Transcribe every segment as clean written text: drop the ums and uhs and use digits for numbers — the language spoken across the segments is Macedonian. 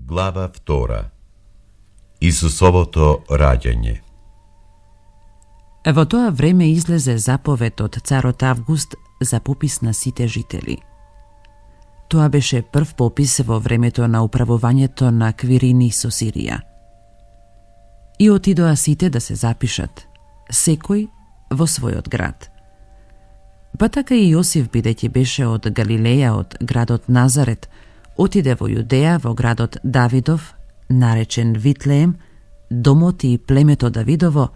Глава 2. Исусовото раѓање. Во тоа време излезе заповед од царот Август за попис на сите жители. Тоа беше прв попис во времето на управувањето на Квирини со Сирија. И отидоа сите да се запишат, секој во својот град. Па така и Јосиф, бидејќи беше од Галилеја, од градот Назарет, отиде во Јудеја, во градот Давидов, наречен Витлеем, домот и племето Давидово,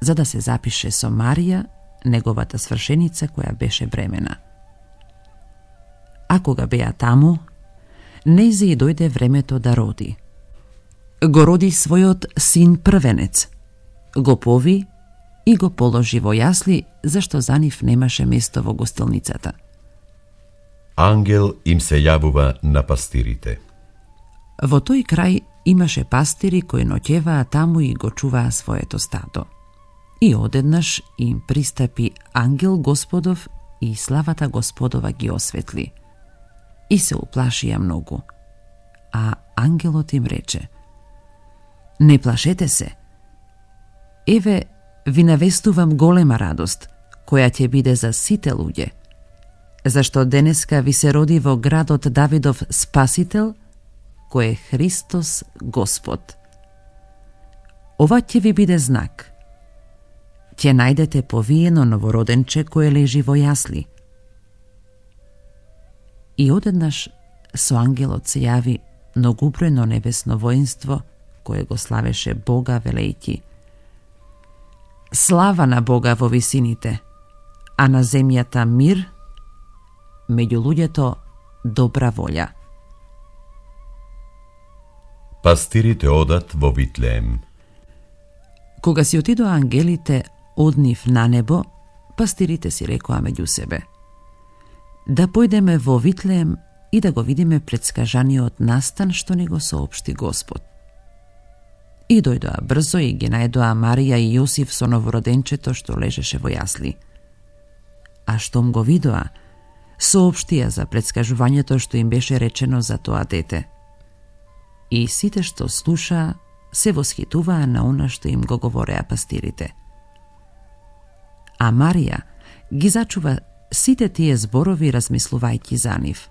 за да се запише со Марија, неговата свршеница, која беше бремена. А кога беа таму, нејзи и дојде времето да роди. Го роди својот син првенец, го пови и го положи во јасли, зашто за нив немаше место во гостилницата. Ангел им се јавува на пастирите. Во тој крај имаше пастири кои ноќеваа таму и го чуваа своето стадо. И одеднаш им пристапи ангел Господов и славата Господова ги осветли. И се уплашија многу. А ангелот им рече: не плашете се. Еве, ви навестувам голема радост, која ќе биде за сите луѓе. Зашто денеска ви се роди во градот Давидов Спасител, кој е Христос Господ. Ова ќе ви биде знак. Ќе најдете повиено новороденче кое лежи во јасли. И одеднаш со ангелот се јави многубројно небесно воинство, кое го славеше Бога велејќи: слава на Бога во висините, а на земјата мир, меѓу луѓето добра волја. Пастирите одат во Витлеем. Кога си отидоа ангелите од нив на небо, пастирите си рекоа меѓу себе: да појдеме во Витлеем и да го видиме претскажаниот настан што ни го соопшти Господ. И дојдоа брзо и ги најдоа Марија и Јосиф со новороденчето што лежеше во јасли. А штом го видоа, соопштија за претскажувањето што им беше речено за тоа дете. И сите што слушаа се восхитуваа на она што им го говореа пастирите. А Марија ги зачува сите тие зборови размислувајќи за нив.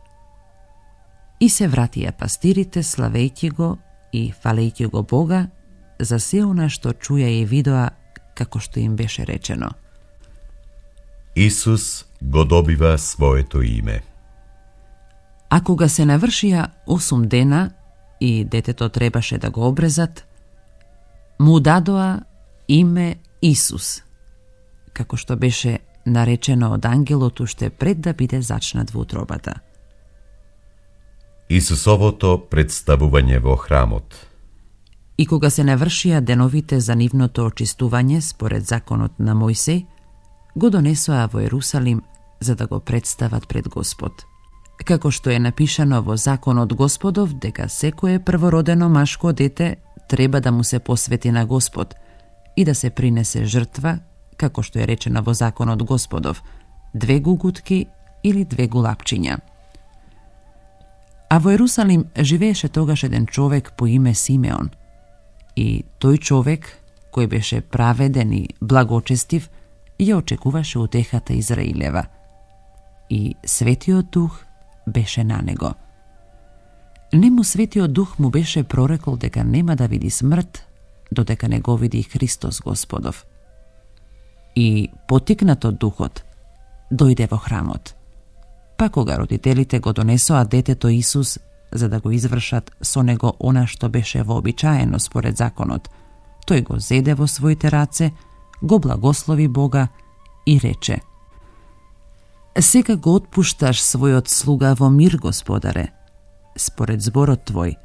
И се вратија пастирите славејќи го и фалејќи го Бога за се она што чуја и видоа како што им беше речено. Исус го добива своето име. А кога се навршија 8 дена и детето требаше да го обрезат, му дадоа име Исус, како што беше наречено од ангелот уште пред да биде зачнат во утробата. Исусовото представување во храмот. И кога се навршија деновите за нивното очистување според законот на Мојсей, го донесоа во Ерусалим за да го представат пред Господ. Како што е напишано во законот Господов дека секое првородено машко дете треба да му се посвети на Господ и да се принесе жртва, како што е речено во законот Господов, 2 гугутки или 2 гулапчиња. А во Ерусалим живееше тогаш еден човек по име Симеон. И тој човек, кој беше праведен и благочестив, ја очекуваше утехата Израилева. И Светиот Дух беше на него. Нему Светиот Дух му беше прорекол дека нема да види смрт, додека не го види Христос Господов. И потикнат од Духот, дојде во храмот. Па кога родителите го донесоа детето Исус, за да го извршат со него она што беше вообичаено според законот, тој го зеде во своите раце, го благослови Бога и рече: сега го отпушташ својот слуга во мир, Господаре, според зборот Твој,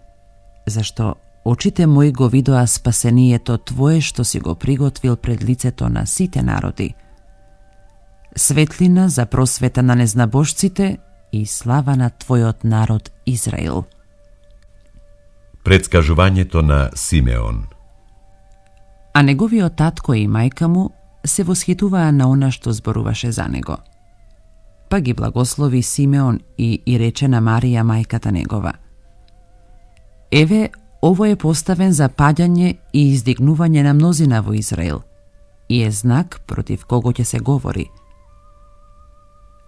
зашто очите мои го видоа спасението Твое што си го приготвил пред лицето на сите народи, светлина за просвета на незнабожците и слава на Твојот народ Израил. Предскажувањето на Симеон. А неговиот татко и мајка му се восхитуваа на она што зборуваше за него. Па ги благослови Симеон и рече на Марија мајката негова: Еве, ово е поставен за паѓање и издигнување на мнозина во Израел и е знак против кого ќе се говори.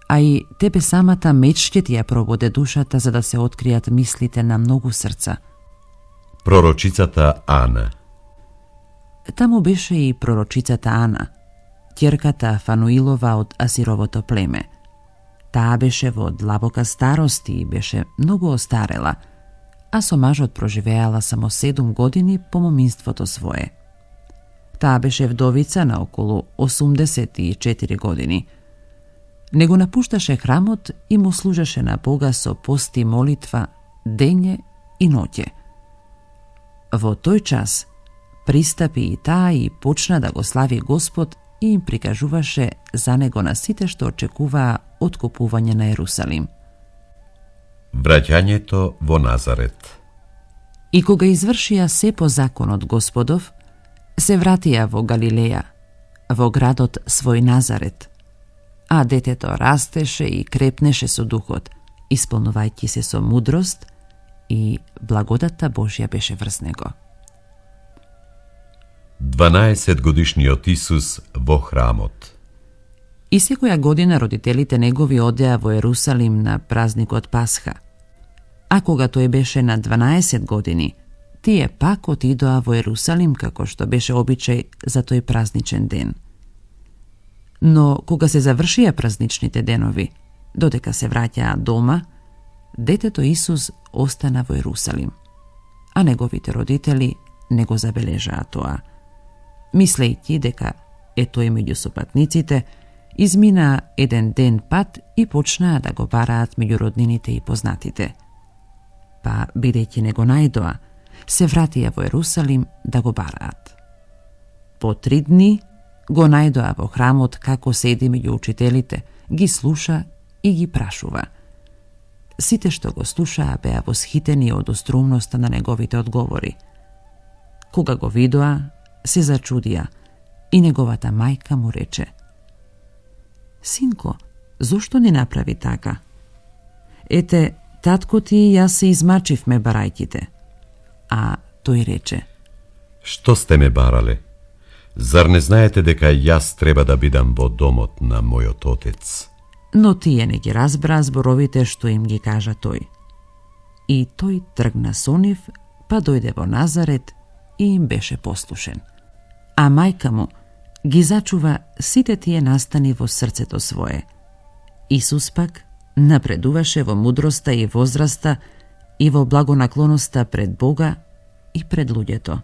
А и тебе самата меч ќе ти ја прободе душата за да се откријат мислите на многу срца. Пророчицата Ана. Таму беше и пророчицата Ана, ќерката Фануилова од Асировото племе. Таа беше во длабока старост и беше многу остарела, а со мажот проживеала само 7 години по моминството свое. Таа беше вдовица на околу 84 години. Не го напушташе храмот и му служеше на Бога со пост и молитва дење и ноќе. Во тој час пристапи и таа и почна да го слави Господ и им прикажуваше за него на сите што очекуваа откупување на Ерусалим. Враќањето во Назарет. И кога извршија се по законот Господов, се вратија во Галилеја, во градот свој Назарет, а детето растеше и крепнеше со духот, исполнувајќи се со мудрост и благодата Божја беше врз него. 12-годишниот Исус во храмот. И секоја година родителите негови одеа во Ерусалим на празникот Пасха. А кога тој беше на 12 години, тие пак отидоа во Ерусалим како што беше обичај за тој празничен ден. Но кога се завршија празничните денови, додека се враќаа дома, детето Исус остана во Ерусалим, а неговите родители не го забележаа тоа. Мислејќи дека е тој меѓу сопатниците, изминаа еден ден пат и почнаа да го бараат меѓу роднините и познатите. Па, бидејќи не го најдоа, се вратија во Ерусалим да го бараат. По 3 дни го најдоа во храмот како седи меѓу учителите, ги слуша и ги прашува. Сите што го слушаа беа восхитени од остроумноста на неговите одговори. Кога го видоа, се зачудија и неговата мајка му рече: Синко, зошто не направи така? Ете, татко ти и јас се измачивме барајките. А тој рече: Што сте ме барале? Зар не знаете дека јас треба да бидам во домот на мојот отец? Но тие не ги разбраа зборовите што им ги кажа тој. И тој тргна со нив, па дојде во Назарет и им беше послушен. А мајка му ги зачува сите тие настани во срцето свое. Исус пак напредуваше во мудроста и возраста и во благонаклоноста пред Бога и пред луѓето.